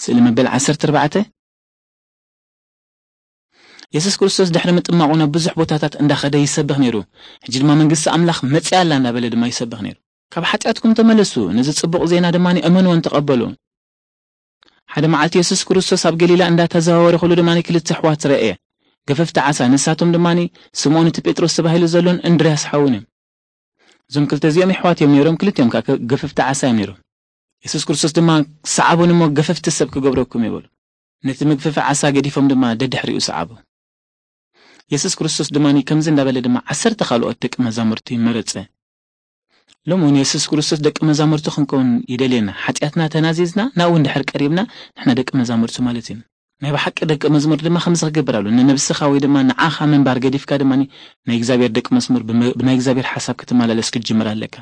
ስእሊ መበል ዓሰርተ ኣርባዕተ። የሱስ ክርስቶስ ድሕሪ ምጥማቑ ናብ ብዙሕ ቦታታት እንዳኸደ ይሰብኽ ነይሩ። ሕጂ ድማ መንግስቲ ኣምላኽ መጺኣ ኣላ እንዳበለ ድማ ይሰብኽ ነይሩ። ካብ ሓጢኣትኩም ተመለሱ፣ ነዚ ጽቡቕ ዜና ድማ እመንዎን ተቐበሉ። ሓደ መዓልቲ የሱስ ክርስቶስ ኣብ ገሊላ እንዳተዘዋወረ ከሎ ድማ ክልተ ኣሕዋት ረኤ። ገፈፍቲ ዓሳ፣ ንሳቶም ድማ ስምዖን እቲ ጴጥሮስ ተባሂሉ ዘሎን እንድርያስ ሓውን እዮም። እዞም ክልተ እዚኦም ኣሕዋት እዮም ነይሮም፣ ክልቲኦም ከዓ ገፈፍቲ ዓሳ እዮም ነይሮም። የሱስ ክርስቶስ ድማ፣ "ሰዓቡኒ እሞ ገፈፍቲ ሰብ ክገብረኩም" ይበሉ። ነቲ መግፈፊ ዓሳ ገዲፎም ድማ ደድሕሪኡ ሰዓቡ። የሱስ ክርስቶስ ድማ ከምዚ እንዳበለ ድማ ዓሰርተ ካልኦት ደቂ መዛሙርቲ መረጸ። ሎሚ እውን የሱስ ክርስቶስ ደቂ መዛሙርቲ ክንከውን ይደልየና። ሓጢኣትና ተናዚዝና ናብኡ እንድሕር ቀሪብና ንሕና ደቂ መዛሙርቲ ማለት እዩ። ናይ ብሓቂ ደቂ መዝሙር ድማ ከምዚ ክገብር ኣሎ። ንነብስኻ ወይ ድማ ንዓኻ ምንባር ገዲፍካ ድማ ናይ እግዚኣብሔር ደቂ መዝሙር ብመ-፣ ብናይ እግዚኣብሔር ሓሳብ ክትመላለስ ክትጅምር ኣለካ።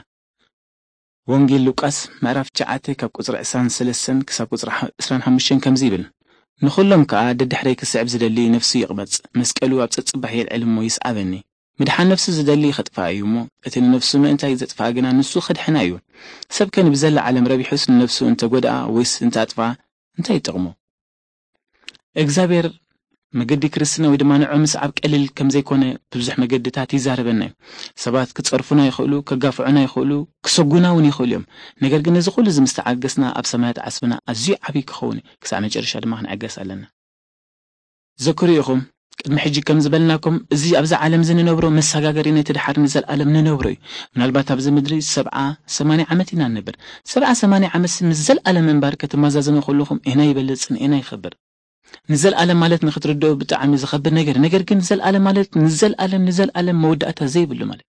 ወንጌል ሉቃስ ምዕራፍ ትሽዓተ ካብ ቁጽሪ ዕስራን ሰለስተን ክሳብ ቁጽሪ ሓ-፣ ዕስራን ሓሙሽተን ከምዚ ይብል፣ "ንኹሎም ከኣ ደድሕረይ ክስዕብ ዝደሊ ነፍሱ ይቕመጽ፣ መስቀሉ ኣብ ጸጽባሕ የልዕል እሞ ይስዓበኒ። ምድሓን ነፍሱ ዝደሊ ኸጥፍኣ እዩ እሞ፣ እቲ ንነፍሱ ምእንታይ ዘጥፍኣ ግና ንሱ ኸድሕና እዩ። ሰብ ከ ንብዘላ ዓለም ረቢሑስ ንነፍሱ እንተ ጐድኣ ወይስ እንተ ኣጥፍኣ እንታይ ይጠቕሞ?" እግዚኣብሔር መገዲ ክርስትና ወይ ድማ ንዑ ምስዓብ ቀሊል ከም ዘይኮነ ብብዙሕ መገድታት ይዛረበና እዩ። ሰባት ክጸርፉና ይኽእሉ፣ ከጋፍዑና ይኽእሉ፣ ክሰጉና እውን ይኽእሉ እዮም። ነገር ግን ነዚ ኩሉ እዚ ምስ ተዓገስና ኣብ ሰማያት ዓስብና ኣዝዩ ዓብዪ ክኸውን እዩ። ክሳዕ መጨረሻ ድማ ክንዕገስ ኣለና። ዘክሩ ኢኹም፣ ቅድሚ ሕጂ ከም ዝበልናኩም፣ እዚ ኣብዚ ዓለም እዚ ንነብሮ መሰጋገሪ ነቲ ድሓር ንዘለኣለም ንነብሮ እዩ። ምናልባት ኣብዚ ምድሪ ሰብዓ ሰማንያ ዓመት ኢና ንነብር። ሰብዓ ሰማንያ ዓመት ምስ ዘለኣለም ምንባር ክትመዛዘኑ ከለኹም፣ ኤና ይበልጽን ኤና ይኸብር። ንዘለኣለም ማለት ንኽትርድኦ ብጣዕሚ ዝኸብድ ነገር፣ ነገር ግን ዘለኣለም ማለት ንዘለኣለም፣ ንዘለኣለም መወዳእታ ዘይብሉ ማለት።